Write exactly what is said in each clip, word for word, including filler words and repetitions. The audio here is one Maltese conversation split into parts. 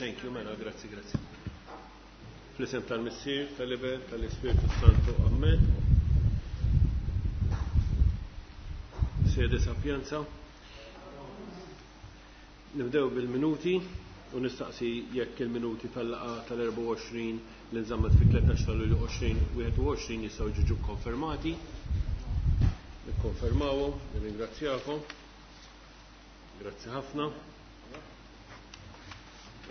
Thank you, mela, grazzi, grazzi. Fl-isem tal-Missier, tal-Iben, tal-Ispirtu Santu, Amen. Sede Sapienza. Nibdew bil-minuti u nistaqsi jekk il-minuti tal-laqgħa tal-erbgħa u għoxrin li nżammet fit-tlettax ta' Lulju għoxrin wieħed u għoxrin jistgħu jiġu konfermati. Nikkonfermawhom, nirringrazzjakom. Grazzi ħafna.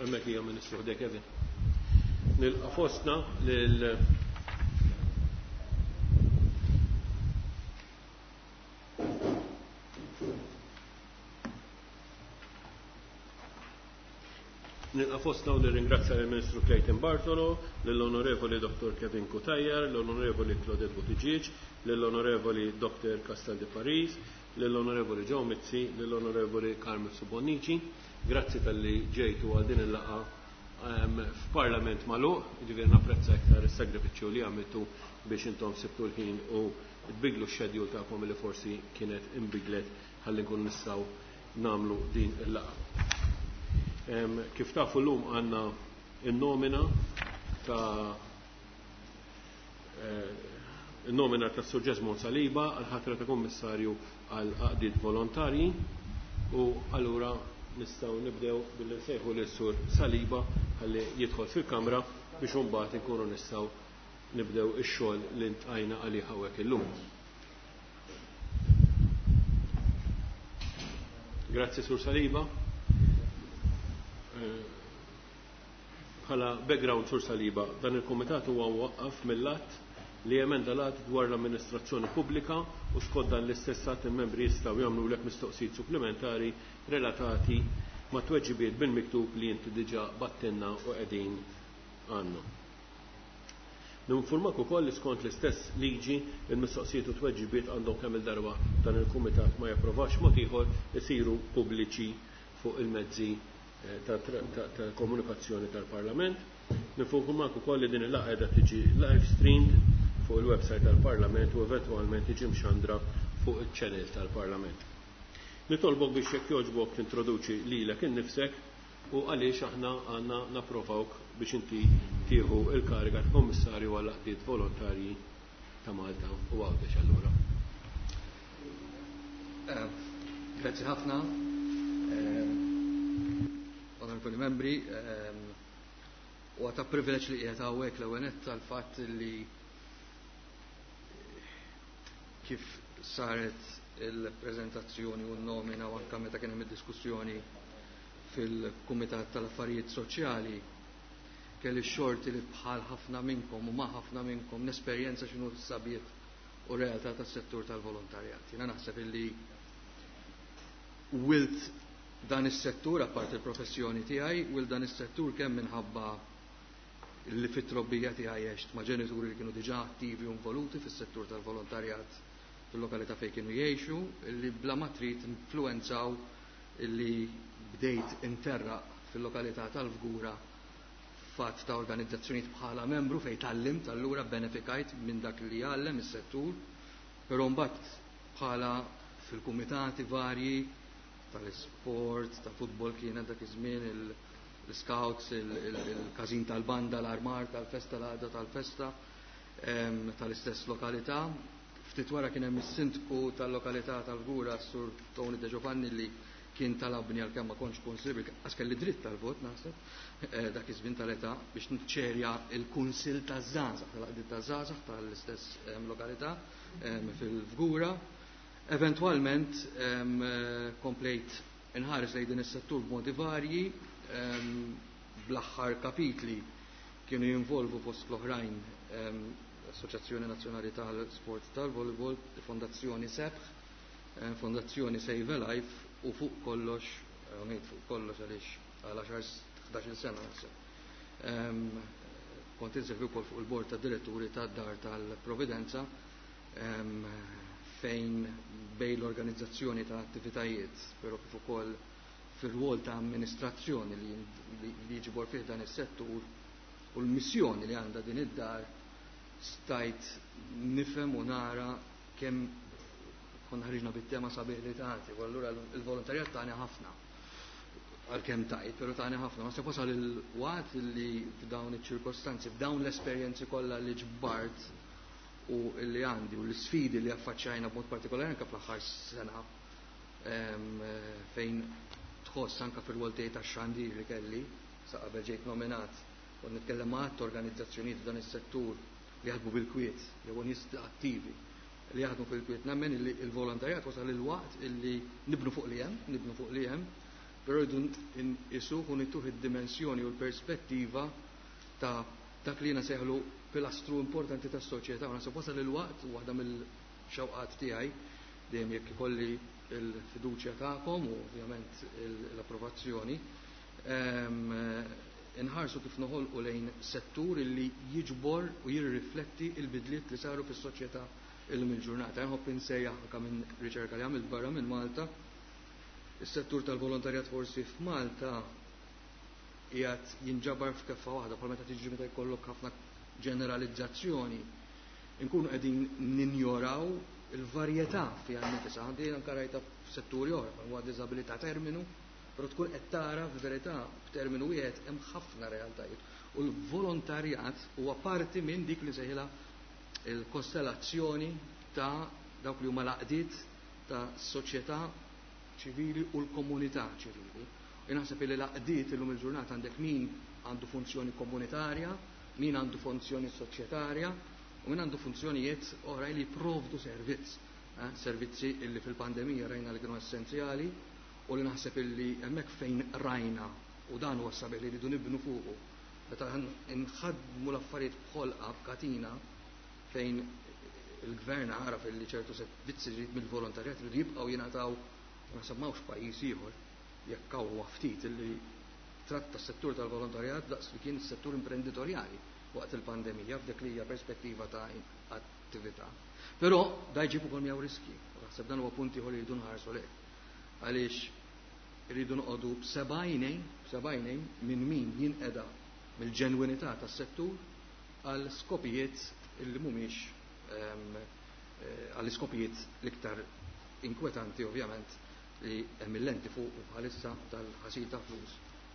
Hemmhekk hija Ministru ħdej Kevin. Nilqa' fostna lil Nilqa' fostna u nirringrazzja lill-Ministru Clayton Bartolo, lill-Onorevoli Dottor Kevin Cutajar, l-Onorevoli Claudette Buttigieg, lill-Onorevoli Dottor Castel di Paris, lill-Onorevoli Joe Mizzi, lill-Onorevoli Carmen Subonnici. Grazzi tal-li ġejtu għal din il-laqgħa f'Parlament magħluq, jiġifieri napprezza iktar is-sagrifiċċju li għamiltu biex intom sibtu l-ħin u tbiglu x-schedule tagħkom li forsi kienet imbidlet ħalli nkunu nistgħu nagħmlu din il-laqgħa. Kif tafu llum għandna n-nomina ta' n-nomina ta' Sur Jesmond Saliba għal ħatra ta' Kummissarju għal għaqdiet volontarji u allura nistgħu nibdew billi nsejħu lil Sur Saliba ħalli jidħol fil-kamra biex imbagħad inkunu nistgħu nibdew ix-xogħol li ntqajna għalih hawnhekk illum. Grazzi Sur Saliba. Bħala background Sur Saliba, dan il-kumitat huwa mwaqqaf mill-att li emenda l-att dwar l-amministrazzjoni pubblika u skont dan l-istess att il-membri jistgħu jagħmlulek mistoqsijiet supplementari relatati ma' tweġibiet bil-miktub li inti diġà battinna u qegħdin għandna. Ninformak ukoll li skont l-istess liġi il-mistoqsijiet u tweġibiet għandhom kemm il-darba dan il-kumitat ma japprovax mod ieħor isiru pubbliċi fuq il-mezzi ta' komunikazzjoni tal-Parlament. Ninformak ukoll li din il-laqgħa qiegħda tiġi live streamed fuq il-website tal-Parlament u eventwalment tiġi mxandra fuq iċ-channel tal-Parlament. Nitolbok biex jekk jogħġbok tintroduċi lilek innifsek u għaliex aħna għandna napprovawk biex inti tieħu il-kariga ta' Kommissarju għall għaqdiet volontarji ta' Malta u Għawdex allura. Grazzi ħafna. Onorevoli membri, u għata privileġġ li qiegħed hawnhekk l-ewwel nett tal-fatt li kif saret il-preżentazzjoni u n-nomina u anke meta kien hemm id-diskussjoni fil-Kumitat tal-Affarijiet Soċjali kelli x-xorti li bħal ħafna minnkom u ma' ħafna minnkom nesperjenza x'inhu s-sabiet u realtà tas-settur tal-volontarjat. Jiena naħseb illi wilt dan is-settur apparti il-professjoni tiegħi, wilt dan is-settur kemm minħabba li fit-trobbija tiegħi għext ma' ġenituri li kienu diġà attivi u involuti fis-settur tal-volontarjat fil-lokalità fejn kienu jgħixu, li bla ma trid influenzaw illi bdejt interraq fil-lokalità tal-Fgura fatt ta' organizzazzjonijiet bħala membru fejn tgħallimt, allura benefikajt minn dak li jgħallem is-settur, però mbagħad bħala fil-kumitati varji tal-isport, ta' futbol kienet dak iż-żmien, l-scouts, il-każin tal-banda, l-armar tal-festa, l-għada tal-festa tal-istess lokalità. Ftit wara kien hemm is-sindku tal-lokalità tal-Fgura, Sur Tony De Giovanni, li kien talabni għalkemm ma kontx kunsill, għax kelli dritt tal-vot naħseb, dak iż-żmien tal-età biex niċċerja l-Kunsill taż-Żgħażagħ, tal-Għaqdiet taż-Żgħażagħ tal-istess lokalità fil-Fgura. Eventwalment komplejt inħares lejn din is-settur b'modi varji, bl-aħħar kapitli kienu jinvolvu fost l-oħrajn l-Assoċjazzjoni Nazzjonali tal-Sport tal-Volleyball, Fondazzjoni Sebħ, Fondazzjoni Save a Life u fuq kollox, ngħid fuq kollox għaliex għal għaxar ħdax-il sena naħseb. Kont inservi wkoll fuq il-bord ta' diretturi tad-Dar tal-Providenza fejn bejn l-organizzazzjoni ta' attivitajiet, però kif ukoll fir-rwol ta' amministrazzjoni li jiġbor fih dan is-settur u l-missjoni li għandha din id-dar stajt nifhem u nara kemm konna ħriġna bit-tema sabiħ li tagħti, u allura il-volontarjat tagħni ħafna. Għalkemm tajt, però tani ħafna. Ma se wasal il-waqt li f'dawn iċ-ċirkostanzi, f'dawn l-esperjenzi kollha li ġbart u li għandi u l-sfidi li affaċċajna b'mod partikolari anke fl-aħħar sena, fejn tħoss anke fir-rwol tiegħi tax-xandir li kelli sa qabel ġejt nominat u nitkellem ma' organizzazzjonijiet f'dan is-settur li jaħdmu bil-kwiet jew nies attivi li jaħdmu fil-kwiet. Nemmen li l-volontarjat wasal il-waqt illi nibnu fuq li hemm, nibnu fuq li hemm, però rridu nqisuh u nituh id-dimensjoni u l-perspettiva ta' dak li jiena sejħlu pilastru importanti tas-soċjetà. U naħseb wasal il-waqt, u waħda mill-xewqat tiegħi dejjem jekk ikolli l-fiduċja tagħkom u ovvjament l-approvazzjoni, inħarsu kif noħolqu lejn settur illi jiġbor u jirrifletti il-bidliet li saru fis-soċjetà illum il-ġurnata. Nħobb insejjaħ anke minn riċerka li għamilt barra minn Malta, is-settur tal-volontarjat forsi f'Malta qiegħed jinġabar f'keffa waħda, bħal meta tiġi meta jkollok ħafna ġeneralizzazzjoni, inkunu qegħdin ninjoraw il-varjetà fiha nnifisha. Għandi anke rajta f'setturi oħra, huwa diżabilità terminu, però tkun qed tara f'verità b'terminu wieħed hemm ħafna realtajiet. U l-volontarjat huwa parti minn dik li sejħilha il-kostellazzjoni ta' dawk li huma l-għaqdiet ta' soċjetà ċivili u l-komunità ċivili. U naħseb li l-għaqdiet illum il-ġurnata għandek min għandu funzjoni komunitarja, min għandu funzjoni soċjetarja u min għandu funzjonijiet oħra li jipprovdu servizz. Eh, servizzi illi fil-pandemija rajna li kienu essenzjali u li naħseb illi hemmhekk fejn rajna, u dan huwa sabiħ li rridu nibnu fuqu. Meta nħadmu l-affarijiet b'ħolqa b'katina fejn il-gvern għaraf illi ċertu servizzi mill-volontarjat li jibqgħu jingħataw, naħseb m'hawnx pajjiż ieħor jekk hawn huwa ftit illi tratta s-settur tal-volontarjat daqs li kien is-settur imprenditorjali waqt il-pandemija f'dik li hija perspettiva ta' attività. Però da jġib ukoll miegħu riski. Naħseb dan huwa punt ieħor li jridu nħarsu lejh. Għaliex irridu noqogħdu b'seba' għajnejn, b'seba' għajnejn minn min jinqeda mill-ġenwinità tas-settur għal skopijiet illi mhumiex għal iskopijiet l-iktar inkwetanti ovvjament li hemm il-lenti fuq u bħalissa tal-ħasil ta' flus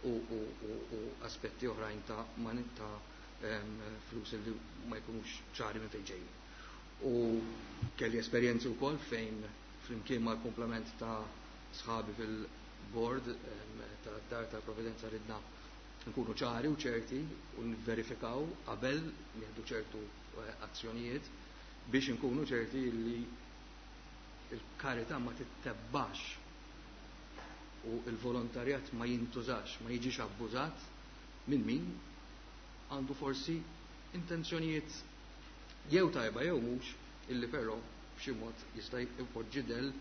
u, u, u, u aspetti oħrajn ta' ta' flus li ma jkunux ċari minn fejn ġejjin. U kelli esperjenzi wkoll fejn flimkien mal-komplement ta' sħabi fil-board ta' Dar tal-Providenza ridna nkunu ċari u ċerti u nverifikaw qabel nieħdu ċertu azzjonijiet biex nkunu ċerti li il-karità ma tittebbax u il-volontarjat ma jintużax, ma jiġix abbużat minn min għandu forsi intenzjonijiet jew tajba jew mhux illi però b'xi mod jista' jpoġġi del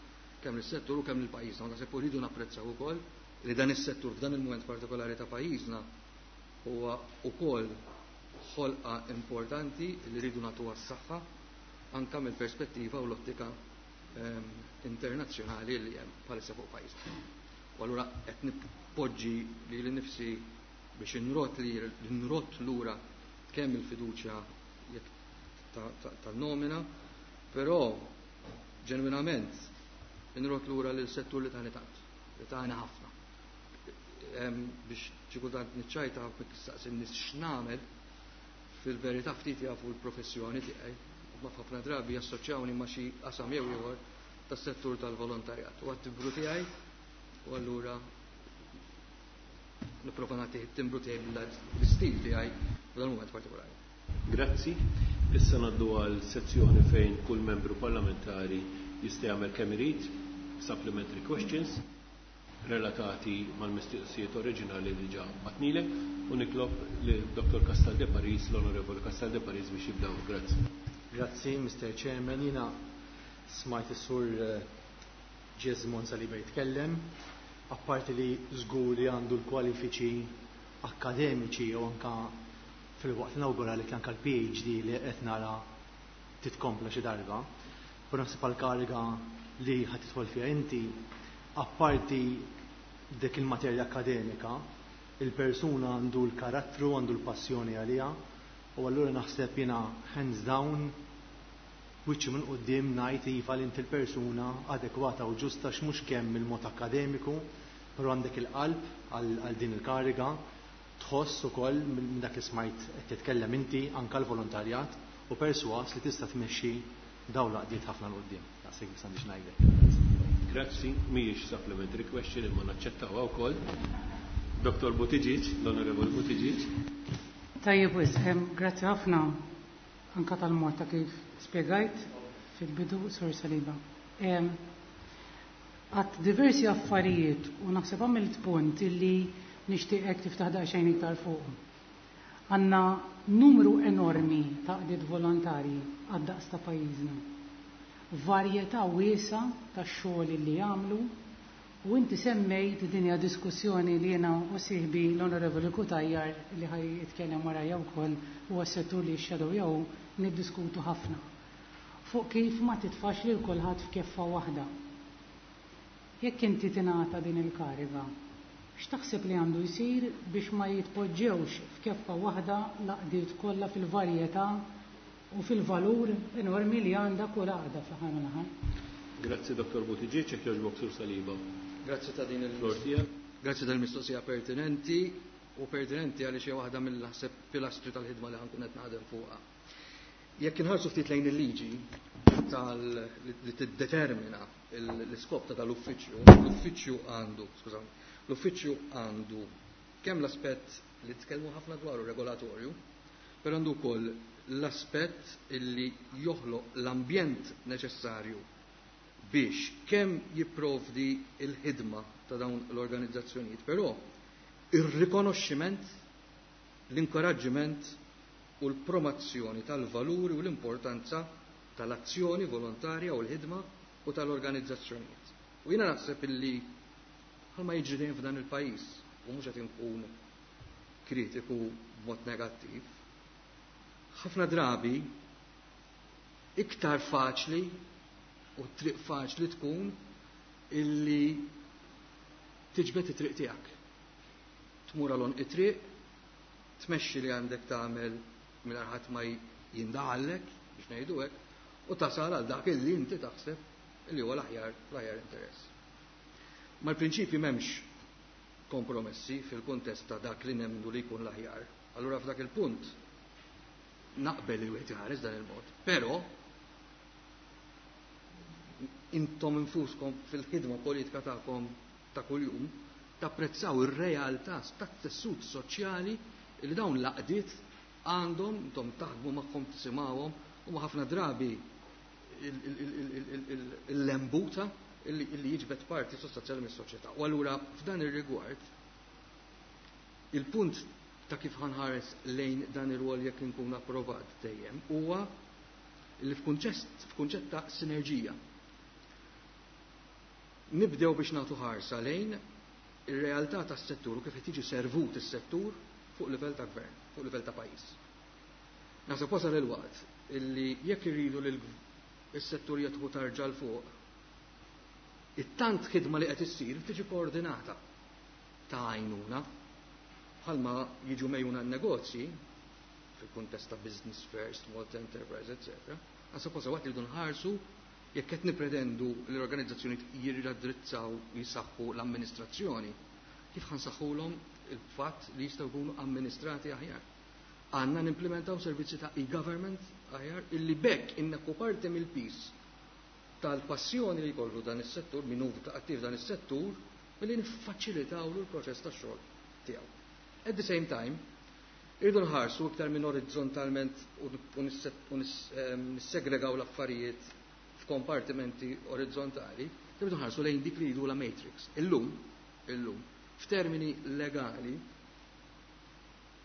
kemm lis-settur u kemm lil-pajjiżna. Naħseb uridu napprezzaw ukoll li dan is-settur f'dan il-mument partikolari ta' pajjiżna huwa wkoll ħolqa importanti li rridu nagħtuha s-saħħa anke mill-perspettiva u l-ottika ehm, internazzjonali li hemm bħalissa fuq pajjiżna. U allura qed nippoġġi lili nnifsi biex inrot li nrot lura kemm il-fiduċja tan-nomina, però ġenwinament inrot lura lil settur li tani tant, li tani ħafna. Biex xi kultant niċċajta nistaqsi n-nies x'nagħmel, fil-verità ftit jafu l-professjoni tiegħi, ma ħafna drabi jassoċjawni ma' xi qasam jew ieħor tas-settur tal-volontarjat. U għat-timbru tiegħi, u allura nipprova nagħti t-timbru tiegħi bl-istil tiegħi f'dan il-mument partikolari. Grazzi. Issa ngħaddu għal sezzjoni fejn kull membru parlamentari jista' jagħmel kemm irid supplementary questions relatati mal-mistoqsijiet oriġinali li ġa batnilek u nitlob li Dottor Castaldi Paris, l-Onorevoli Castaldi Paris biex jibdaw. Grazzi. Grazzi, Mister Chairman. Jiena smajt is-sur Jesmond Saliba jitkellem, apparti li żgur li għandu l-kwalifiċi akademiċi u anka fil-waqt nawgura li anka l-P H D li qed nara titkompla xi darba. Però naħseb għall-kariga li ħadd tidħol fiha inti, apparti dik il-materja akademika, il-persuna għandu l-karattru, għandu l-passjoni għaliha, u allura naħseb jiena hands down wiċċi minn quddiem ngħid iva li inti l-persuna adekwata u ġusta x'mhux kemm il-mod akademiku, Però għandek il-qalb għal din il-kariga, tħoss ukoll minn dak li smajt qed titkellem inti anke l-volontarjat u perswas li tista' tmexxi dawn l-għaqdiet ħafna 'l quddiem. Daqshekk biss għandi x'ngħidlek. Grazzi, mhijiex supplementary question imma naċċettawha wkoll. Dottor Buttigieg, l-Onorevoli Buttigieg. Tajjeb wisq, grazzi ħafna anka tal-mod ta' kif spjegajt fil-bidu, Sur Saliba. Għat diversi affarijiet u naħseb għamilt punt illi nixtieqek tiftaħ daqsxejn iktar fuq. Għandna numru enormi ta' għaqdiet volontarji għad-daqs ta' pajjiżna. Varjetà wiesgħa ta' xogħol li jagħmlu u inti semmejt din hija diskussjoni li jiena u sieħbi l-Onorevoli Cutajar li ħaj jitkellem warajja wkoll huwa s-settur li x-shadow jew niddiskutu ħafna. Fuq kif ma titfax lil kulħadd f'keffa waħda. Jekk inti tingħata din il-kariga, x'taħseb li għandu jsir biex ma jitpoġġewx f'keffa waħda l-għaqdiet kollha fil-varjetà u fil-valur enormi li għandha kull għaqda fl-aħħar mill-aħħar? Grazzi Dottor Buttigieg, jekk jogħġbok Sur Saliba. Grazzi ta' din il- Flor tiegħek. Grazzi tal-mistoqsija pertinenti u pertinenti għaliex hija waħda mill-ħseb pilastri tal-ħidma li ħankun qed naħdem fuqha. Jekk inħarsu ftit lejn il-liġi tal li tiddetermina l-iskop ta' tal-uffiċċju, l-uffiċċju għandu, skużawni, l-uffiċċju għandu kemm l-aspett li tkellmu ħafna dwaru regolatorju, però għandu wkoll l-aspett illi joħloq l-ambjent neċessarju biex kemm jipprovdi il-ħidma ta' dawn l-organizzazzjonijiet, però ir-rikonoxximent, l-inkoraġġiment u l-promozzjoni tal-valuri u l-importanza tal-azzjoni volontarja u l-ħidma u tal-organizzazzjonijiet. U jiena naħseb illi bħalma jiġri dejjem f'dan il-pajjiż, u mhux qed inkun kritiku b'mod negattiv, ħafna drabi iktar faċli u triq faċli tkun illi tiġbed it-triq tiegħek. Tmur għal it-triq, tmexxi li għandek tagħmel mingħajr ħadd ma jindaħallek biex ngħidu hekk, u tasal għal dak illi inti taħseb illi huwa l-aħjar l-aħjar interess. Mal-prinċipji m'hemmx kompromessi fil-kuntest ta' dak li nemmnu li jkun l-aħjar. Allura f'dak il-punt naqbel li wieħed iħares dan il-mod, però intom infuskom fil-ħidma politika tagħkom ta' kuljum tapprezzaw ir-realtà tat-tessut soċjali li dawn l-għaqdiet għandhom, intom taħdmu magħhom, tisimgħuhom, u ma ħafna drabi il-lembuta illi jiġbed parti sostanzjali mis-soċjetà. U allura f'dan ir-rigward il-punt ta' kif ħanħares lejn dan ir-rwol jekk inkun approvat dejjem huwa li f'kunċett ta' sinerġija. Nibdew biex nagħtu ħarsa lejn ir-realtà tas-settur u kif qed jiġi servut is-settur fuq livell ta' gvern, fuq livell ta' pajjiż. Naħseb wasal il-waqt illi jekk irridu li s-settur jadħu tarġa' l fuq, it-tant ħidma li qed issir tiġi koordinata ta' għajnuna bħalma jiġu mejjuna n-negozji fil-kuntest ta' Business First, Malta Enterprise, eccetera. Naħseb wasal waqt li rridu nħarsu jekk qed nipretendu li l-organizzazzjoni jirraddrizzaw jisaħħu l-amministrazzjoni, kif ħansaħħulhom il-fatt li jistgħu jkunu amministrati aħjar. Għandna nimplementaw servizzi ta' e-government aħjar illi bekk inneħħu parti mill-pis tal-passjoni li jkollu dan is-settur, min hu attiv dan is-settur, billi niffaċilitawlu l-proċess tax-xogħol tiegħu. At the same time, irridu nħarsu iktar minn orizzontalment u nissegregaw l-affarijiet f'kompartimenti orizzontali, irridu nħarsu lejn dik li jgħidu la matrix. Illum, illum, f'termini legali,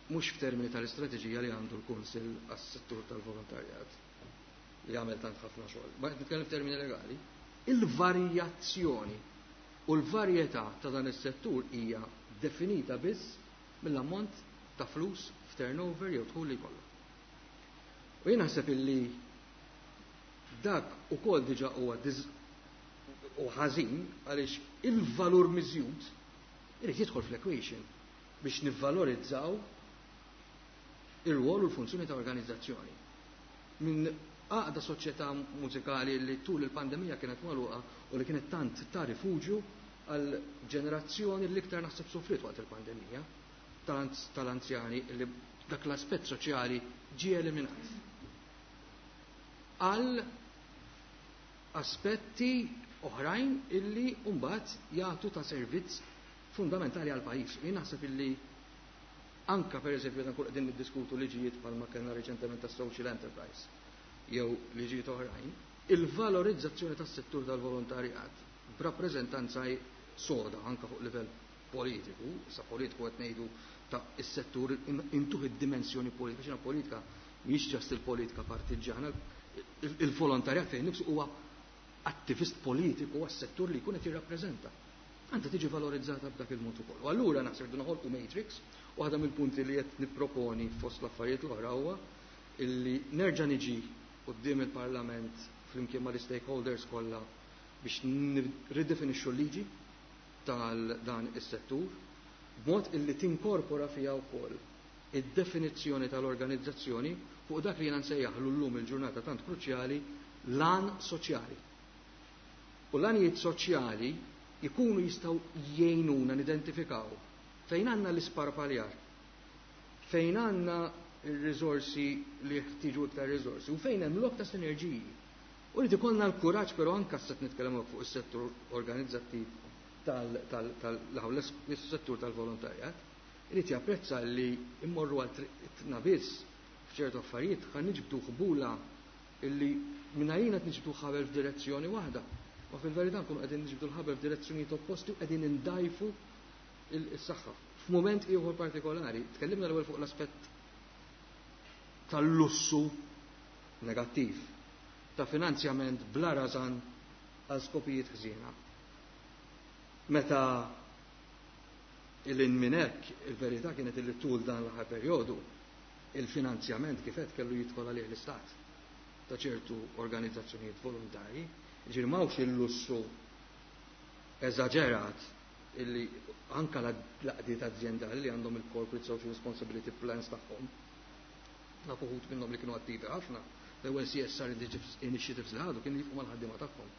mhux f'termini tal-istrateġija li għandu l-Kunsill għas-settur tal-volontarjat, li għamel tant ħafna xogħol, ma qed nitkellem f'termini legali, il-varjazzjoni u l-varjetà ta' dan is-settur hija definita biss mill-ammont ta' flus f'turnover jew dħul li jkollu. U jien naħseb illi dak ukoll diġà huwa u ħażin għaliex il-valur miżjud irid jidħol fl-equation biex nivvalorizzaw ir-rwol u l-funzjoni ta' organizzazzjoni. Minn għaqda soċjetà mużikali li tul il-pandemija kienet magħluqa u li kienet tant ta' rifuġju għal ġenerazzjoni li iktar naħseb sofrit waqt il-pandemija tal-anzjani li dak l-aspett soċjali ġie eliminat. Għal aspetti oħrajn illi mbagħad jagħtu ta' servizz fundamentali għal pajjiż. Jien naħseb illi anka pereżempju dan kull qegħdin niddiskutu liġijiet bħalma kellna reċentement ta' social enterprise jew liġijiet oħrajn, il-valorizzazzjoni tas-settur tal-volontarjat b'rappreżentanza soda anka fuq livell politiku, sa politiku qed ngħidu ta' is-settur intuħ id-dimensjoni politika, xina politika mhix ġast il-politika partiġġana, il-volontarjat fejn nifsu huwa attivist politiku għas-settur li jkun qed jirrappreżenta. Għandha tiġi valorizzata b'dak il-mod ukoll. U allura naħseb irdu noħolqu matrix, u waħda mill-punti li qed nipproponi fost l-affarijiet l-oħra huwa illi nerġa' niġi quddiem il-Parlament flimkien mal-stakeholders kollha biex nirridefinixxu l-liġi tal-dan is-settur b'mod illi tinkorpora fiha wkoll id-definizzjoni tal-organizzazzjoni fuq dak li jiena nsejjaħlu llum il-ġurnata tant kruċjali l-għan soċjali. U l-għanijiet soċjali jkunu jistgħu jgħinuna nidentifikaw fejn għandna l-isparpaljar, fejn għandna il-riżorsi li jeħtieġu iktar riżorsi u fejn hemm lok ta' sinerġiji. U li ikollna l-kuraġġ però anke se nitkellem fuq is-settur organizzattiv tal-settur tal-volontarjat, irid japprezza li immorru għal triqtna biss f'ċertu affarijiet ħa niġbdu ħbula illi mingħajrina qed niġbdu ħabel f'direzzjoni waħda. Ma fil-verità nkunu qegħdin niġbdu l-ħabel f'direzzjonijiet opposti u qegħdin indajfu is-saħħa. F'mument ieħor partikolari, tkellimna l-ewwel fuq l-aspett tal-lussu negattiv ta' finanzjament bla rażan għal skopijiet ħżiena. Meta il minn hekk il-verità kienet illi tul dan l-aħħar perjodu il-finanzjament kif qed kellu jidħol għalih l-istat ta' ċertu organizzazzjonijiet volontarji, ġifieri m'hawnx il-lussu eżaġerat illi anka l-għaqdiet aziendali li għandhom il-corporate social responsibility plans tagħhom. Nafu uħud minnhom li kienu attivi ħafna, l-ewwel C S R initiatives li ħadu kienu jifqu mal-ħaddiema tagħhom.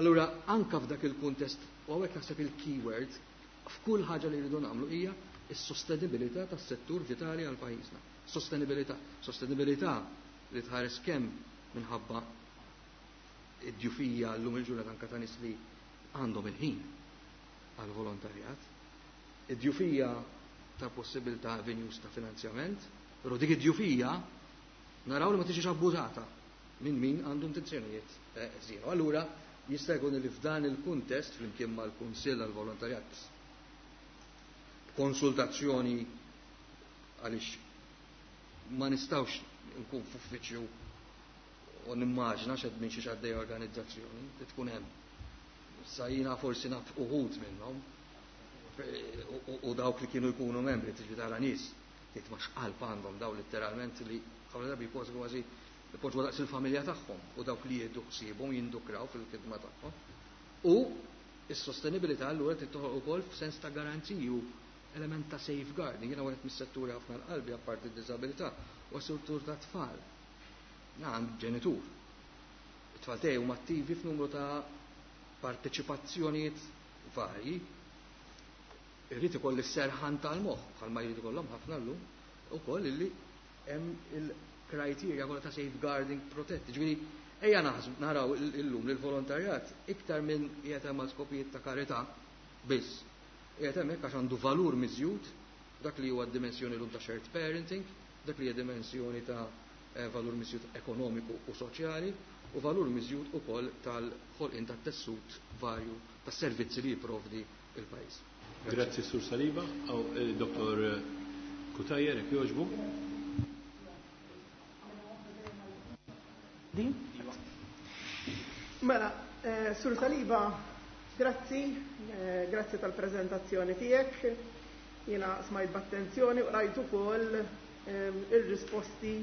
Allura anka f'dak il-kuntest, u hawnhekk naħseb il-keyword f'kull ħaġa li rridu nagħmlu hija s-sostenibilità tas-settur vitali għal pajjiżna. Sostenibilità. Sostenibilità li tħares kemm minħabba id-djufija llum il-ġurnata anka ta' nies li għandhom il-ħin għal volontarjat, id-djufija ta' possibilità avenues ta' finanzjament, però dik id-djufija naraw li ma tiġix abbużata minn min għandu intenzjonijiet ħżiena. Allura jista' jkun li f'dan il-kuntest flimkien mal-Kunsill għal-Volontarjat konsultazzjoni, għaliex ma nistgħux nkun f'uffiċċju u nimmaġna xed minn xi għaddej organizzazzjoni li tkun hemm. Sa jiena forsi naf uħud minnhom u dawk li kienu jkunu membri, tiġi tara nies tgħid ma x'qalb għandhom daw, letteralment li ħafna drabi kważi kważi ipoġġu daqs il-familja tagħhom u dawk li jieħdu ħsiebhom jindukraw fil-khidma tagħhom. U is-sostenibilità allura trid toħloq ukoll f'sens ta' garanziji u element ta' safeguarding. Jiena wieħed mis-setturi ħafna l-qalbi apparti d-diżabilità u settur ta' tfal. Għand ġenitur. It-tfal tiegħi huma attivi f'numru ta' parteċipazzjonijiet varji. Irrid ikolli serħan tal-moħħ bħalma jrid ikollhom ħafna llum ukoll illi hemm il-criteria kollha ta' safeguarding protetti. Ġifieri ejja naħsbu naraw illum li l-volontarjat iktar minn qiegħed hemm skopijiet ta' karità biss. Qiegħed hemmhekk għax għandu valur miżjud, dak li huwa d-dimensjoni llum ta' shared parenting, dak li hija dimensjoni ta' valur miżjud ekonomiku u soċjali u valur miżjud ukoll tal-ħolqien tat-tessut varju tas-servizzi li jipprovdi il-pajjiż. Grazzi, Sur Saliba. Aw Dottor Cutajar, jekk jogħġbu. Din? Mela, eh, Sur Saliba, grazzi, eh, grazzi tal-prezentazzjoni tiegħek. Jiena smajt b'attenzjoni u rajt ukoll eh, ir-risposti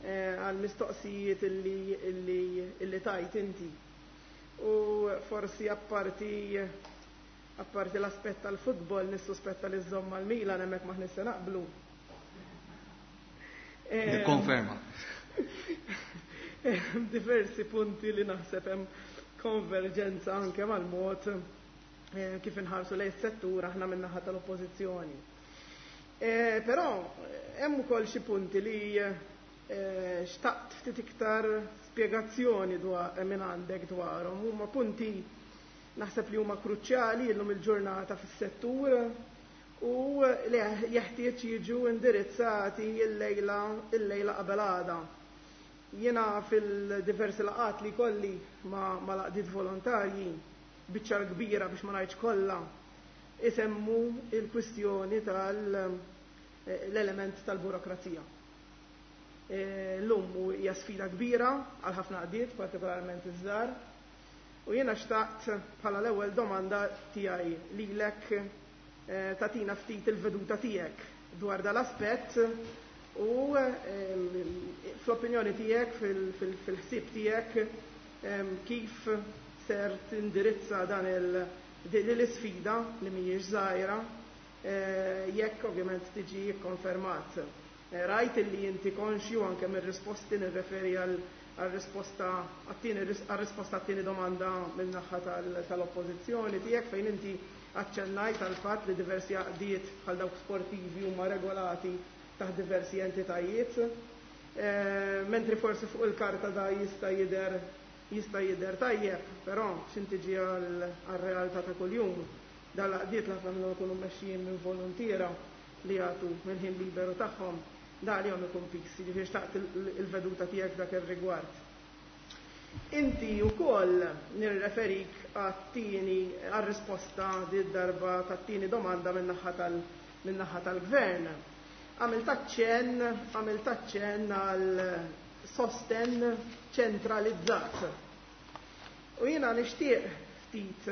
għal mistoqsijiet illi, illi, illi tajt inti. U forsi apparti apparti l-aspett tal-futbol nissuspetta li żżomm mal-Milan, hemmhekk maħniex se naqblu. Nikkonferma. Diversi punti li naħseb hemm konverġenza anke mal-mod eh, kif inħarsu lejn is-settur aħna min-naħa tal-Oppożizzjoni. Eh, però hemm ukoll xi punti li eh, xtaqt ftit iktar spjegazzjoni dwar minn għandek dwarhom. Huma punti naħseb li huma kruċjali llum il-ġurnata fis-settur u li jeħtieġ jiġu indirizzati l-lejla il-lejla qabel għada. Jiena fil-diversi laqgħat li kolli ma, ma l-għaqdiet volontarji, biċċa kbira biex ma ngħidx kollha, isemmu il-kwistjoni tal-element tal-burokrazija. Llum hija sfida kbira għal ħafna għaqdiet, partikolarment iż-żgħar, u jiena xtaqt bħala l-ewwel domanda tiegħi lilek tagħtina ftit il-veduta tiegħek dwar dal-aspett u fl-opinjoni tiegħek, fil-ħsieb tiegħek, kif ser tindirizza dan il din l-isfida li mhijiex żgħira jekk ovvjament tiġi kkonfermat. Rajt li inti konxju anke mir-risposti, nirreferi għal-risposta għal-risposta għat-tieni domanda min-naħa tal-Oppożizzjoni tiegħek fejn inti aċċennajt għal fatt li diversi għaqdiet bħal dawk sportivi huma regolati taħt diversi entitajiet, mentri forsi fuq il-karta da jista' jidher jista' jidher tajjeb, però x'intiġi għal-realtà ta' kuljum, dal-għaqdiet l-ħafna minnhom ikunu mmexxijin minn volontiera li jagħtu mill-ħin liberu tagħhom, da għalihom ikun fix, jiġifieri xtaqt il-veduta tiegħek dak ir-rigward. Inti wkoll nirreferik għat-tieni għar-risposta di darba tat-tieni domanda min-naħa tal min-naħa tal-Gvern. Għamilt aċċenn, għamilt aċċenn għal sosten ċentralizzat. U jiena nixtieq ftit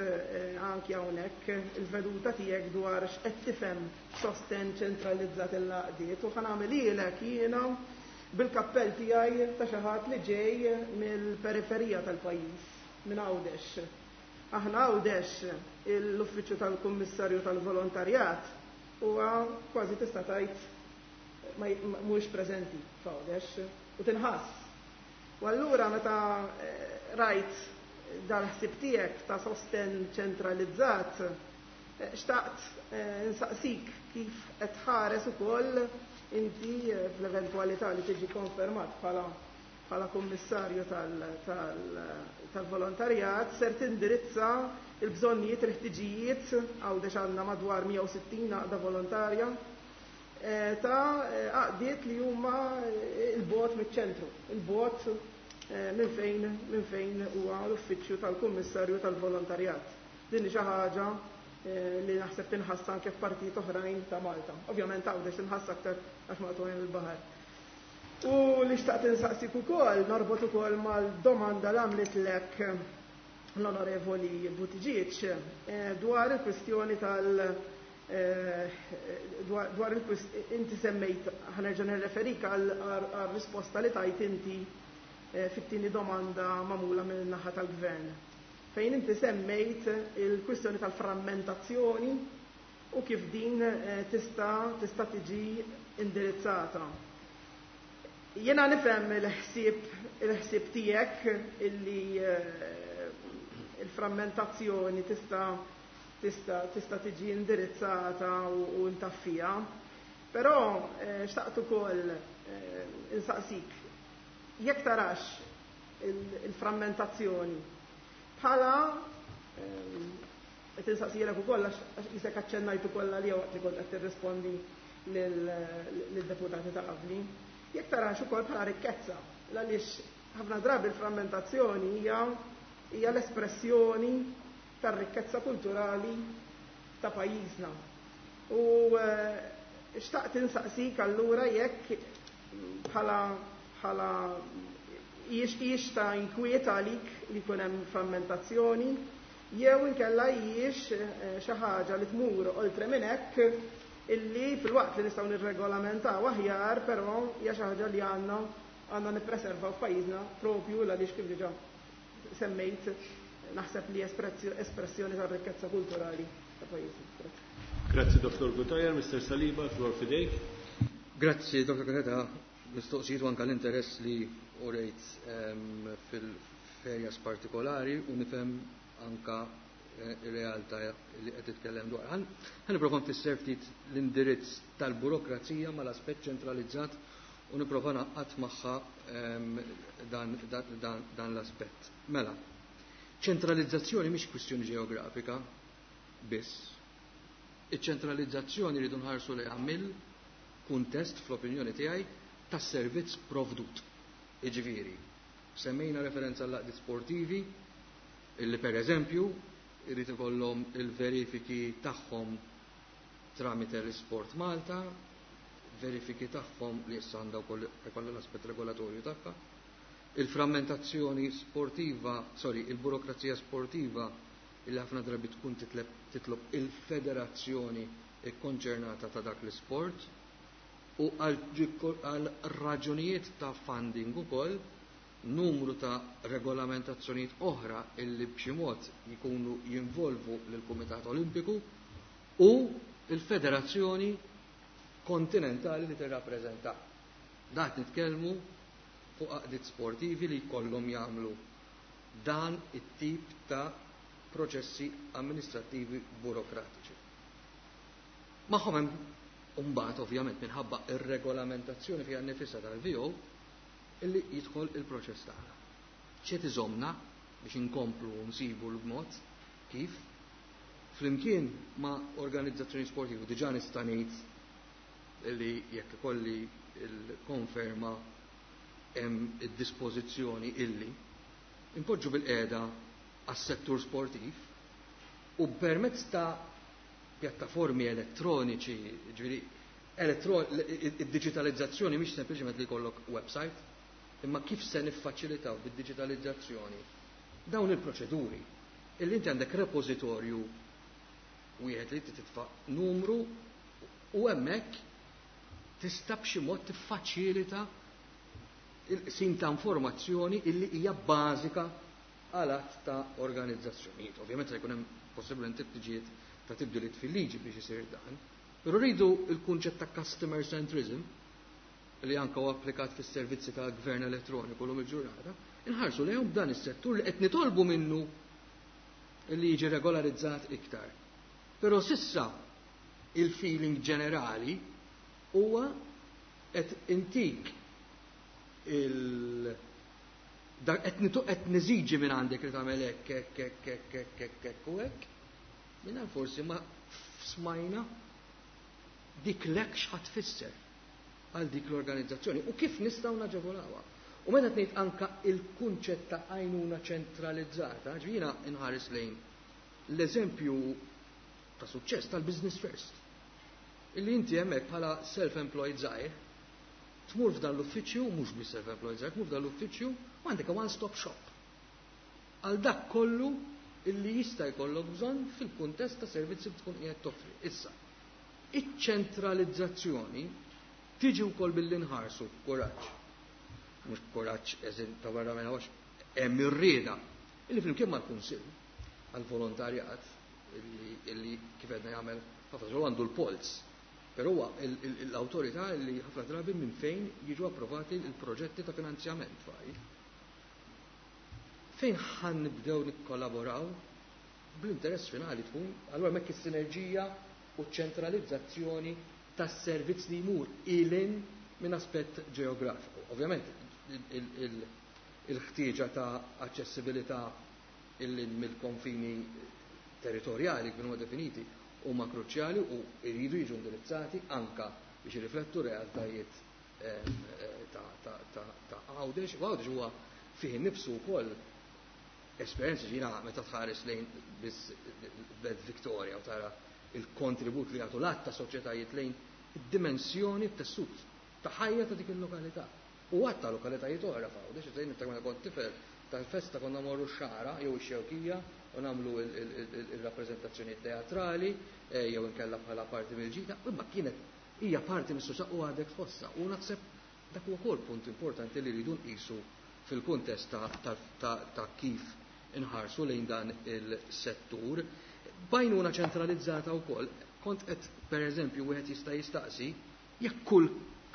anki hawnhekk il-veduta tiegħek dwar x'qed tifhem sosten ċentralizzat il-għaqdiet u ħa nagħmel jiena bil-kappell tiegħi ta' xi ħadd li ġej mill-periferija tal-pajjiż, minn Għawdex. Aħna Għawdex l-Uffiċċju tal-Kummissarju tal-Volontarjat huwa kważi tista' tgħid mhuwiex preżenti f'Għawdex u tinħass. U allura meta rajt dal-ħsieb tiegħek ta' sosten ċentralizzat, xtaqt nsaqsik kif qed tħares ukoll inti fl-eventwalità li tiġi konfermat bħala bħala kummissarju tal-volontarjat ser tindirizza il-bżonnijiet, il-ħtiġijiet, Għawdex għandna madwar mija u sittin għaqda volontarja ta' għaqdiet li huma il-bot miċ-ċentru, il-bot minn fejn minn fejn huwa l-uffiċċju tal-Kummissarju tal-Volontarjat. Din hi xi ħaġa li naħseb tinħass anke f'partijiet oħrajn ta' Malta. Ovvjament Għawdex tinħass aktar għax maqtugħin il-baħar. U li xtaqt insaqsik ukoll, norbot ukoll mal-domanda li għamlitlek l-Onorevoli Buttigieg dwar il-kwistjoni tal- dwar il-kwist inti semmejt, ħanerġa' nirreferik għal risposta li tajt inti fit-tieni domanda magħmula minn naħa tal-Gvern. Fejn inti semmejt il-kwistjoni tal-frammentazzjoni u kif din tista' tista' tiġi indirizzata. Jiena nifhem il-ħsieb il-ħsieb tiegħek illi il-frammentazzjoni tista' tista' tista' tiġi indirizzata u ntaffija, però xtaqt ukoll insaqsik jekk tarax il-frammentazzjoni bħala qed insaqsijek ukoll għax isek aċċennajt ukoll għalija waqt li kont qed tirrispondi lid-deputati ta' qabli. Jekk tarax ukoll bħala rikkezza, għaliex ħafna drabi l-frammentazzjoni hija hija l-espressjoni tar-rikkezza kulturali ta' pajjiżna. U xtaqt insaqsik allura jekk bħala bħala hijiex ta' inkwiet għalik li jkun hemm frammentazzjoni, jew inkella hijiex xi ħaġa li tmur oltre minn hekk illi fil-waqt li nistgħu nirregolamentaw aħjar, però hija xi ħaġa li għandna għandna nippreservaw f'pajjiżna propju għaliex kif diġà semmejt naħseb li espressjoni tar-rikkezza kulturali ta' pajjiżna. Grazzi Dottor Cutajar, Mister Saliba, flor fidejk. Grazzi Dottor Cutajar, mistoqsijiet u anke l-interess li urejt fil-ferjas partikolari u nifhem anka Ir-realtà li qed titkellem dwar. Ħa nipprova nfisser ftit l-indirizz tal-burokrazija mal-aspett ċentralizzat u nipprova ngħaqqad magħha dan, dan, dan, dan l-aspett. Mela, ċentralizzazzjoni mhix kwistjoni ġeografika biss. Iċ-ċentralizzazzjoni rridu nħarsu lejha mill-kuntest, fl-opinjoni tiegħi, tas-servizz provdut. Jiġifieri, semmejna referenza għall sportivi illi per eżempju irid ikollhom il-verifiki tagħhom tramite l-Sport Malta, verifiki tagħhom li issa għandha wkoll ikollha l-aspett regolatorju tagħha. Il-frammentazzjoni sportiva, sorry, il-burokrazija sportiva illi ħafna drabi tkun titlob il-federazzjoni ikkonċernata ta' dak l-isport u għal raġunijiet ta' funding ukoll numru ta' regolamentazzjonijiet oħra illi b'xi mod jkunu jinvolvu lill-Kumitat Olimpiku u il-Federazzjoni Kontinentali li tirrappreżenta. Dat nitkellmu fuq għaqdiet sportivi li jkollhom jagħmlu dan it-tip ta' proċessi amministrattivi burokratiċi. Magħhom hemm mbagħad ovvjament minħabba ir-regolamentazzjoni fiha nnifisha tal-V O illi jidħol il-proċess tagħna. X'qed iżomna biex inkomplu nsibu l-mod kif flimkien ma' organizzazzjoni sportivi diġà nista' ngħid li jekk ikolli il-konferma hemm id-dispożizzjoni illi impoġġu bil-qiegħda għas-settur sportiv u permezz ta' pjattaformi elettroniċi, ġifieri id-digitalizzazzjoni mhix sempliċement li jkollok website, imma kif se niffaċilitaw bid-digitalizzazzjoni dawn il-proċeduri illi inti għandek repożitorju wieħed li titfa' numru u hemmhekk tista' b'xi mod tiffaċilita il-qsim ta' informazzjoni illi hija bażika għal għadd ta' organizzazzjonijiet. Ovvjament se jkun hemm possibilment ħtiġijiet ta' tibdiliet fil-liġi biex isir dan. Però rridu il-kunċett ta' customer centrism li anka huwa applikat fis-servizzi ta' gvern elettroniku l il-ġurnata, inħarsu lejhom dan is-settur li qed nitolbu minnu li jiġi regolarizzat iktar. Però s'issa il-feeling ġenerali huwa qed intik il qed niżiġi minn għandek li tagħmel hekk hekk hekk hekk hekk hekk hekk u hekk. Mingħajr forsi ma smajna dik lek x'ħa tfisser għal dik l-organizzazzjoni u kif nistgħu naġevolawha. U meta tgħid anka il-kunċett ta' għajnuna ċentralizzata, ġifieri inħares lejn l-eżempju ta' suċċess tal-Business First. Illi inti hemmhekk bħala self-employed żgħir tmur f'dan l-uffiċċju, mhux biss self-employed żgħir, tmur f'dan l-uffiċċju u għandek one-stop shop. Għal dak kollu illi jista' jkollok bżonn fil-kuntest ta' servizzi li tkun qiegħed toffri. Issa, iċ-ċentralizzazzjoni tiġi wkoll billi nħarsu b'kuraġġ. Mhux b'kuraġġ eżin ta' barra minn għax hemm ir-rieda illi flimkien mal-Kunsill għall-volontarjat illi kif qedna jagħmel ħafna xogħol, għandu l-polz. Però huwa l-awtorità li ħafna drabi minn fejn jiġu approvati l-proġetti ta' finanzjament faj. Fejn ħan nibdew nikkollaboraw bl-interess finali tkun, allura hemmhekk is-sinerġija u ċentralizzazzjoni tas-servizz li jmur ilin minn aspett ġeografiku. Ovvjament il-ħtieġa ta' aċċessibilità illin mill-konfini territorjali kif huma definiti huma kruċjali u jridu jiġu indirizzati anka biex jirriflettu realtajiet eh, ta' Għawdex. U Għawdex huwa fih innifsu wkoll esperjenza ġina meta tħares lejn biss Belt Victoria u tara il-kontribut li jagħtu l-għadd ta' soċjetajiet lejn id-dimensjoni tessut ta' ħajja ta' dik il-lokalità. U għadd ta' lokalitajiet oħra f'Għawdex, se niftakar meta kont tifel tal-festa konna morru x-Xagħra jew ix-Xewkija u nagħmlu il-rappreżentazzjoni teatrali eh, jew inkella bħala parti mill-ġita, imma kienet hija parti mis-soċjetà u għadek tħossa. U naħseb dak huwa wkoll punt importanti li rridu nqisu fil-kuntest ta' kif inħarsu lejn dan il-settur. B'għajnuna ċentralizzata wkoll, kont qed pereżempju wieħed jista' jistaqsi jekk kull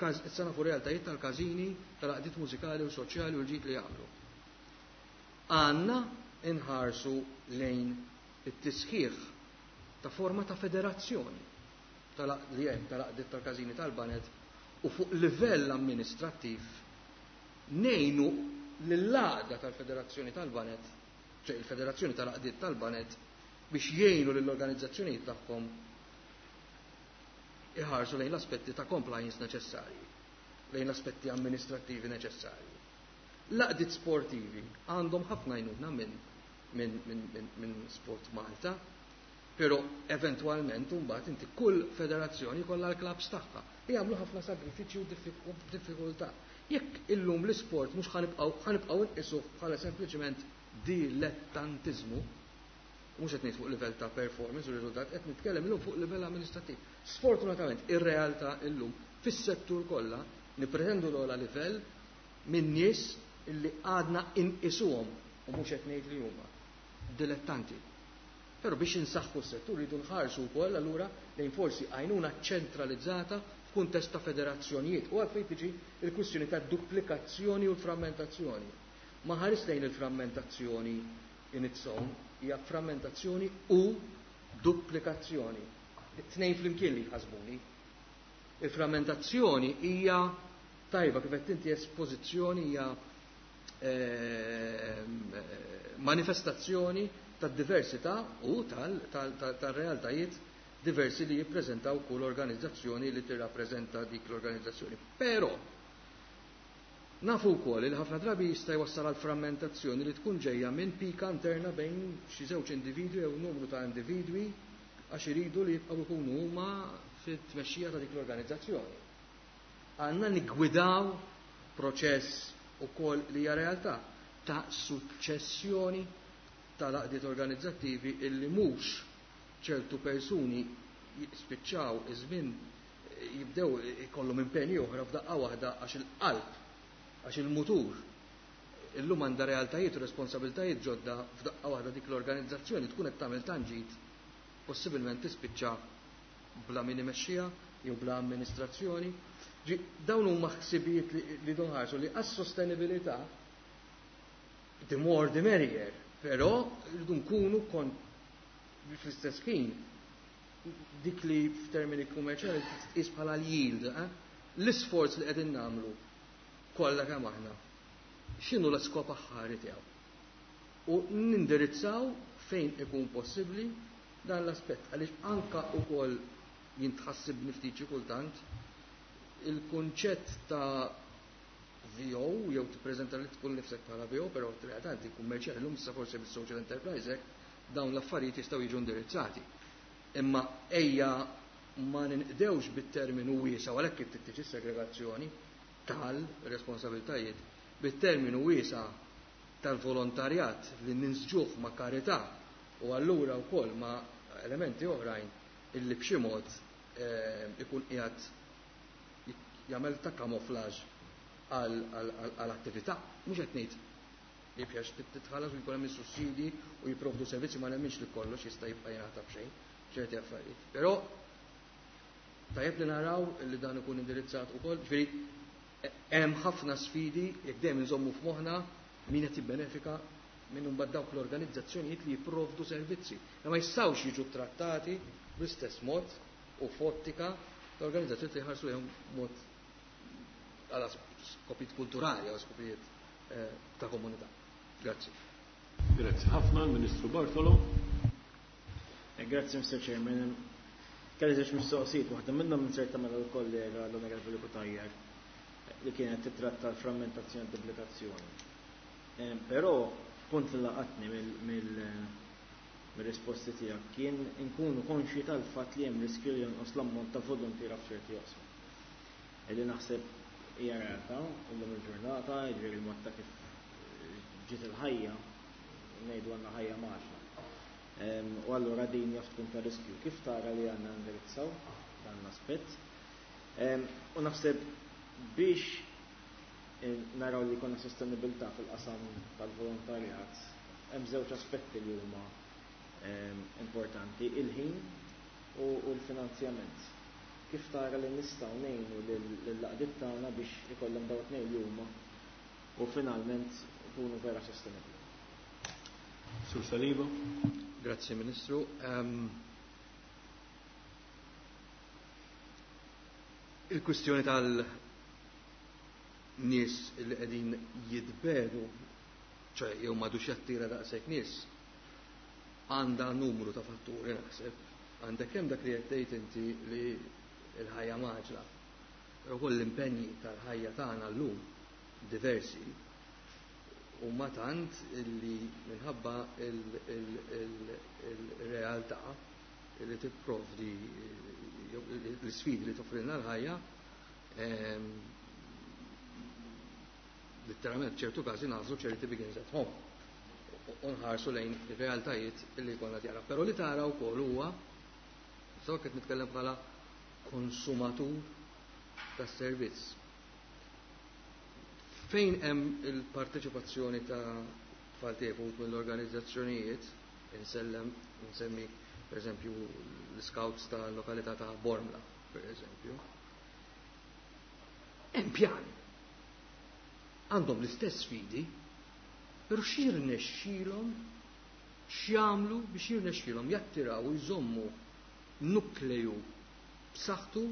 issa nafu realtajiet tal-każini, tal-għaqdiet mużikali u soċjali u l-ġid li jagħmlu. Għandna inħarsu lejn it-tisħiħ ta' forma ta' federazzjoni li hemm tal-għaqdiet tal-każini tal-baned u fuq livell amministrattiv ngħinu lill-għaqda tal-Federazzjoni tal-Baned, ċe il-Federazzjoni tal-Għaqdiet tal-Baned, biex jgħinu lill-organizzazzjonijiet tagħhom iħarsu lejn l-aspetti ta' compliance neċessarji, lejn l-aspetti amministrattivi neċessarji. L-għaqdiet sportivi għandhom ħafna għajnuna minn min, min, min, min Sport Malta, però eventwalment mbagħad inti kull federazzjoni kollha l-klabbs tagħha li jagħmlu ħafna sagrifiċċji u diffikultà. Jekk illum l-isport mhux ħanibqgħu ħanibqgħu nqisuh bħala sempliċement dilettantiżmu, mhux qed ngħid fuq livell ta' performance u riżultat, qed nitkellem illum fuq livell amministrattiv. Sfortunatament ir-realtà illum fis-settur kollha nippretendu l-ogħla livell minn nies illi għadna inqisuhom u mhux qed ngħid li huma dilettanti. Però biex insaħħu s-settur rridu nħarsu wkoll allura lejn forsi għajnuna ċentralizzata f'kuntest ta' federazzjonijiet u għalfejn tiġi l-kwistjoni ta' duplikazzjoni u l-frammentazzjoni. Ma ħares lejn il-frammentazzjoni in its own, hija frammentazzjoni u duplikazzjoni. It-tnejn flimkien li jħasbuni. Il-frammentazzjoni hija tajba kif qed inti espożizzjoni hija manifestazzjoni tad-diversità u tal-realtajiet diversi li jippreżentaw kull organizzazzjoni li tirrappreżenta dik l-organizzazzjoni. Però nafu wkoll li ħafna drabi jista' jwassal għal frammentazzjoni li tkun ġejja minn pika interna bejn xi żewġ individwi jew numru ta' individwi għax iridu li jibqgħu jkunu huma fit-tmexxija ta' dik l-organizzazzjoni. Għandna niggwidaw proċess ukoll li hija realtà ta' suċċessjoni tal-għaqdiet organizzattivi illi mhux ċertu persuni jispiċċaw iż-żmien jibdew ikollhom impenji oħra f'daqqa waħda għax il-qalb, għax il-mutur illum għandha realtajiet u responsabiltajiet ġodda f'daqqa waħda dik l-organizzazzjoni tkun qed tagħmel tanġit possibilment tispiċċa bla min imexxiha jew bla amministrazzjoni. Dawn huma ħsibijiet li donħarsu li għas-sostenibilità the more the merrier, però rridu nkunu kon fl-istess ħin dik li f'termini kummerċjali tqis bħala l-yield, eh? L-isforz li qegħdin nagħmlu kollha kemm aħna. X'inhu l-iskop aħħari tiegħu? U nindirizzaw fejn ikun possibbli dan l-aspett għaliex anka wkoll jintħassib ftit xi kultant il-kunċett ta' V O jew tippreżenta li tkun nifsek bħala V O, però f'realtà inti kummerċjali llum issa forsi bis-social enterprise hekk dawn l-affarijiet jistgħu jiġu indirizzati. Imma ejja ma ninqdewx bit-terminu wiesa' u għalhekk kif tiġi segregazzjoni tal-responsabiltajiet bit-terminu wiesa' tal-volontarjat li ninsġuh ma' karità u allura wkoll ma' elementi oħrajn illi b'xi mod ikun qiegħed jagħmel ta' kamoflaġ għall-attività. Mhux qed ngħid li biex titħallas u jkun hemm is-sussidji u jipprovdu servizzi, ma nemminx li kollox jista' jibqa' jingħata b'xejn ċerti affarijiet. Però tajjeb li naraw li dan ikun indirizzat ukoll, ġifieri hemm ħafna sfidi jekk dejjem inżommu f'moħħna min qed jibbenefika minn imbagħad dawk l-organizzazzjonijiet li jipprovdu servizzi. Ma jistgħux jiġu trattati bl-istess mod u f'ottika l-organizzazzjoni li jħarsu lejhom mod għal skopijiet kulturali, għal skopijiet ta' komunità. Grazzi. Grazzi ħafna, Ministru Bartolo. Grazzi, Mister Chairman. Kelli żewġ mistoqsijiet, waħda minnhom inserta mela l-kollega l-Onorevoli Cutajar li kienet titratta l-frammentazzjoni u duplikazzjoni. Però punt li laqatni mill-risposti tiegħek kien inkunu konxji tal-fatt li hemm riskju li jonqos l-ammont ta' volontiera f'ċerti oqsma. Illi naħseb hija realtà illum il-ġurnata, jiġifieri il-mod ta' kif ġiet il-ħajja, ngħidu għandna ħajja maġna. U allura din jaf tkun ta' riskju. Kif tara li għandna indirizzaw dan l-aspett? U naħseb biex naraw li jkollna sostenibilità fil-qasam tal-volontarjat, hemm żewġ aspetti li huma importanti, il-ħin u l-finanzjament. Kif tara li nistgħu ngħinu lill-laqdiet tagħna biex ikollhom dawn it-tnejn li huma u finalment ikunu vera sostenibbli. Sur Saliba. Grazzi Ministru. Um, il-kwistjoni tal-nies li qegħdin jitbedu, ċe jew m'għadux jattira daqshekk nies, għandha numru ta' fatturi naħseb. Għandek kemm dak li qed tgħid inti li l-ħajja maġla, però wkoll l-impenji tal-ħajja tagħna llum diversi huma tant li minħabba il-realtà li tipprovdi l-sfidi li toffrilna l-ħajja, letteralment ċertu każi nagħżlu charity begins at home u nħarsu lejn ir-realtajiet li jkollna tjara. Però li tara wkoll huwa, so qed nitkellem bħala konsumatur tas-servizz. Fejn hemm il-parteċipazzjoni ta' tfal tiegħek mill-organizzazzjonijiet, insellem, insemmi per eżempju l-scouts tal-lokalità ta' Bormla, per eżempju, hemm pjan. Għandhom l-istess sfidi, però x'jirnexxielhom, x'jagħmlu biex jirnexxielhom jattiraw u jżommu nukleju b'saħħtu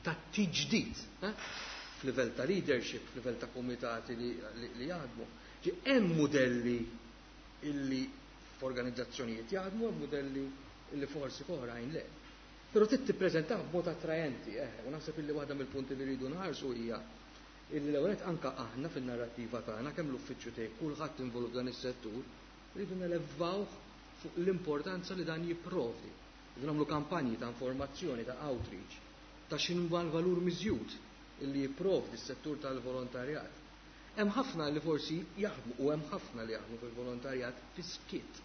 ta' tiġdid, eh? F'livell ta' leadership, f'livell ta' komitati li, li, li jaħdmu. Ġi hemm modelli illi f'organizzazzjonijiet jaħdmu, hemm modelli illi forsi f'oħrajn le. Però trid tippreżentaw b'mod attrajenti, eh, u naħseb illi waħda mill-punti li rridu nħarsu hija illi l-ewwel anka aħna fin-narrattiva tagħna kemm l-uffiċċju tiegħi kulħadd involut f'dan is-settur, rridu nelevaw fuq l-importanza li dan jipprovdi. Rridu nagħmlu kampanji ta' informazzjoni, ta' outreach, ta' x'inhu l-valur miżjud illi jipprovdi s-settur tal-volontarjat. Hemm ħafna li forsi jaħdmu u hemm ħafna li jaħdmu fil-volontarjat fis-skiet.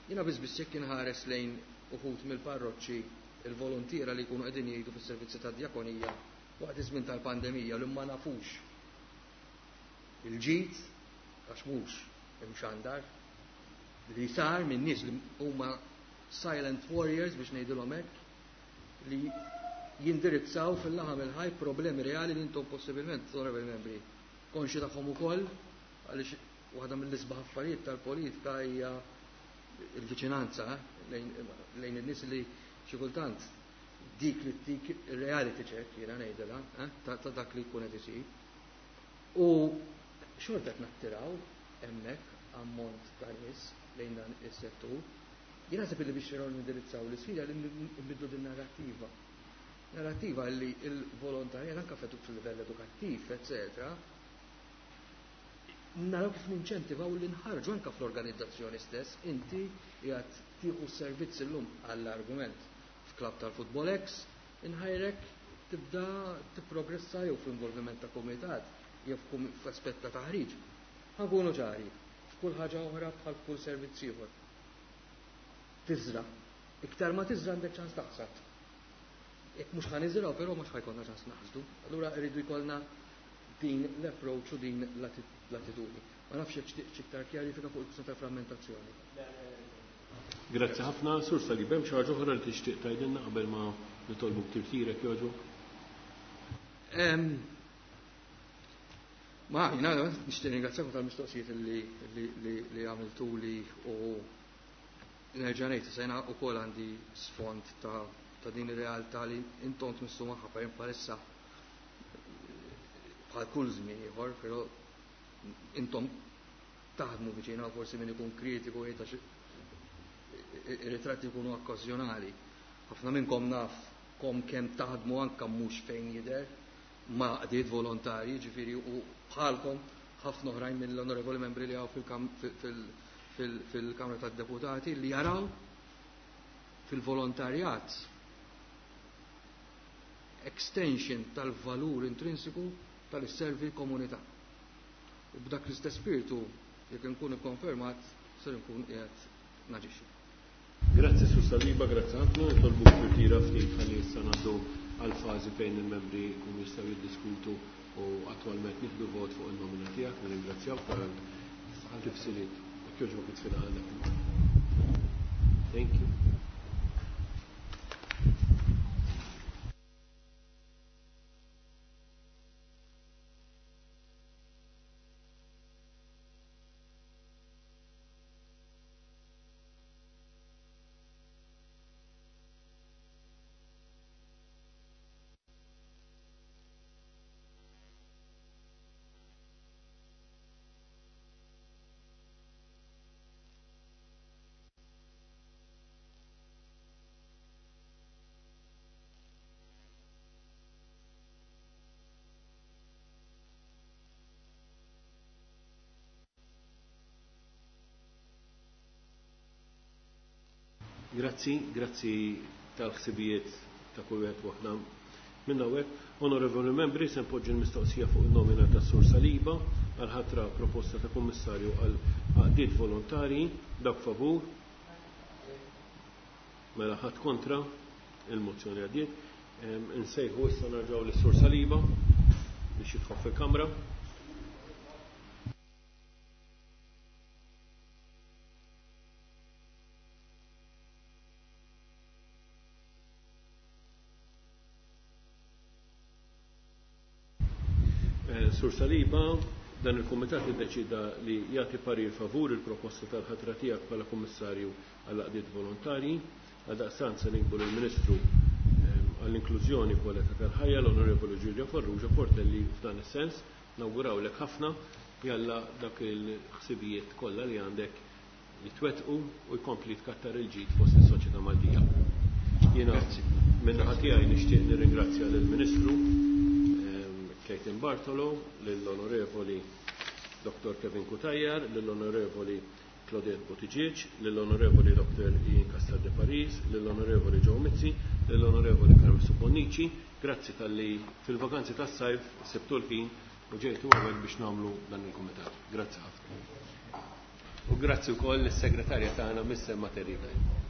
Jiena biss biss jekk inħares lejn uħud mill-parroċċi il-volontiera li jkunu qegħdin jgħidu fis-servizzi tad-djakonija waqt iż-żmien tal-pandemija li ma nafux il-ġid għax mhux imxandar li sar minn nies li huma silent warriors biex ngħidilhom hekk, li jindirizzaw fil-laħam il-ħaj problemi reali li intom possibilment, onorevoli membri, konxi tagħhom ukoll, għaliex waħda mill-isbaħ affarijiet tal-politika hija il-viċinanza lejn, lejn in-nies li xi kultant dik li tik reality check jiena ngħidilha, eh, ta', ta' dak li jkun qed isir. U xorta qed nattiraw hemmhekk ammont ta' nies lejn dan is-settur. Jien naħseb li biex nindirizzaw l-isfida li nbidlu din narrattiva. Narrattiva li l-volontarjat anke fil-livell edukattiv, eccetera, naraw kif ninċentivaw li nħarġu anke fl-organizzazzjoni stess, inti qiegħed tieħu servizz illum għall-argument f'klabb tal-Futbol X, inħajrek tibda tipprogressa jew fl-involviment ta' komitat jew f'aspett ta' taħriġ. Ħankunu ċari, f'kull ħaġa oħra bħal f'kull servizz ieħor. Tiżra. Iktar ma tiżra għandek ċans taħsad. Jekk mhux ħa niżraw, però mhux ħajkollna ċans naħsdu. Allura rridu jkollna din l-approach u din l-attitudni. Ma nafx jekk xtieq iktar kjarifika fuq il-kwistjoni ta' frammentazzjoni. Grazzi ħafna, Sur Salib, hemm xi ħaġa oħra li tixtieq tgħidilna qabel ma nitolbuk tirtirek jogħġbok? Ma jiena nixtieq ringrazzjakom tal-mistoqsijiet li, li, li, li għamiltuli u nerġa' ngħid issa jiena wkoll għandi sfond ta', ta' din ir-realtà li intom tmissu magħha per bħalissa bħal kull żmien ieħor, però intom taħdmu viċina forsi min ikun kritiku jgħid għax ir-ritratti jkunu okkażjonali. Ħafna minnkom naf kom kemm taħdmu anke mhux fejn jidher ma' għaqdiet volontarji, ġifieri u bħalkom ħafna oħrajn mill-onorevoli membri li hawn fil-Kamra tad-Deputati li jaraw fil-volontarjat extension tal-valur intrinsiku tal-servi komunità. U b'dak l-istess spiritu, jekk nkun ikkonfermat, ser nkun qiegħed naġixxi. Grazzi Sur Saliba, grazzi ħafna, nitolbuk tirtira ftit ħalli issa ngħaddu għal fażi fejn il-membri jkunu jistgħu jiddiskutu u attwalment nieħdu vot fuq in-nomina tiegħek, nirringrazzjawk tal-tifsiriet. Jekk jogħġbok itfilha għandek. Thank you. Grazzi, grazzi tal-ħsibijiet ta' kull wieħed waħda minn hawnhekk. Onorevoli membri, se npoġġi l-mistoqsija fuq in-nomina ta' Sur Saliba għal ħatra proposta ta' kummissarju għal għaqdiet volontarji. Dak favur? Mela ħadd kontra, il-mozzjoni għaddiet. Insejħu issa narġgħu lis-Sur Saliba biex jidħol fil-Kamra. Sur Saliba, dan il-Kumitat iddeċida li jagħti parir favur il-proposta tal-ħatra tiegħek bħala Kummissarju għall-Għaqdiet Volontarji. Għaldaqstant se nikbu lill-Ministru għall-Inklużjoni u Kwalità tal-Ħajja, l-Onorevoli Giulia Farrugia Portelli f'dan is-sens. Nawgurawlek ħafna, jalla dak il-ħsibijiet kollha li għandek jitwettqu u jkompli tkattar il-ġid fost is-soċjetà Maltija. Jiena min-naħa tiegħi nixtieq nirringrazzja lill-Ministru Clayton Bartolo, lill-Onorevoli Dottor Kevin Cutajar, lill-Onorevoli Claudette Buttigieg, lill-Onorevoli Dottor Ian Castel de Paris, lill-Onorevoli Joe Mizzi, lill-Onorevoli Carmen Bonnici. Grazzi tal-li fil-vakanzi tas-sajf sebtu l-ħin u ġejtu hawnhekk biex nagħmlu dan il-kumitat. Grazzi ħafna. U grazzi wkoll lis-segretarja tagħna Miss Emma Terrible.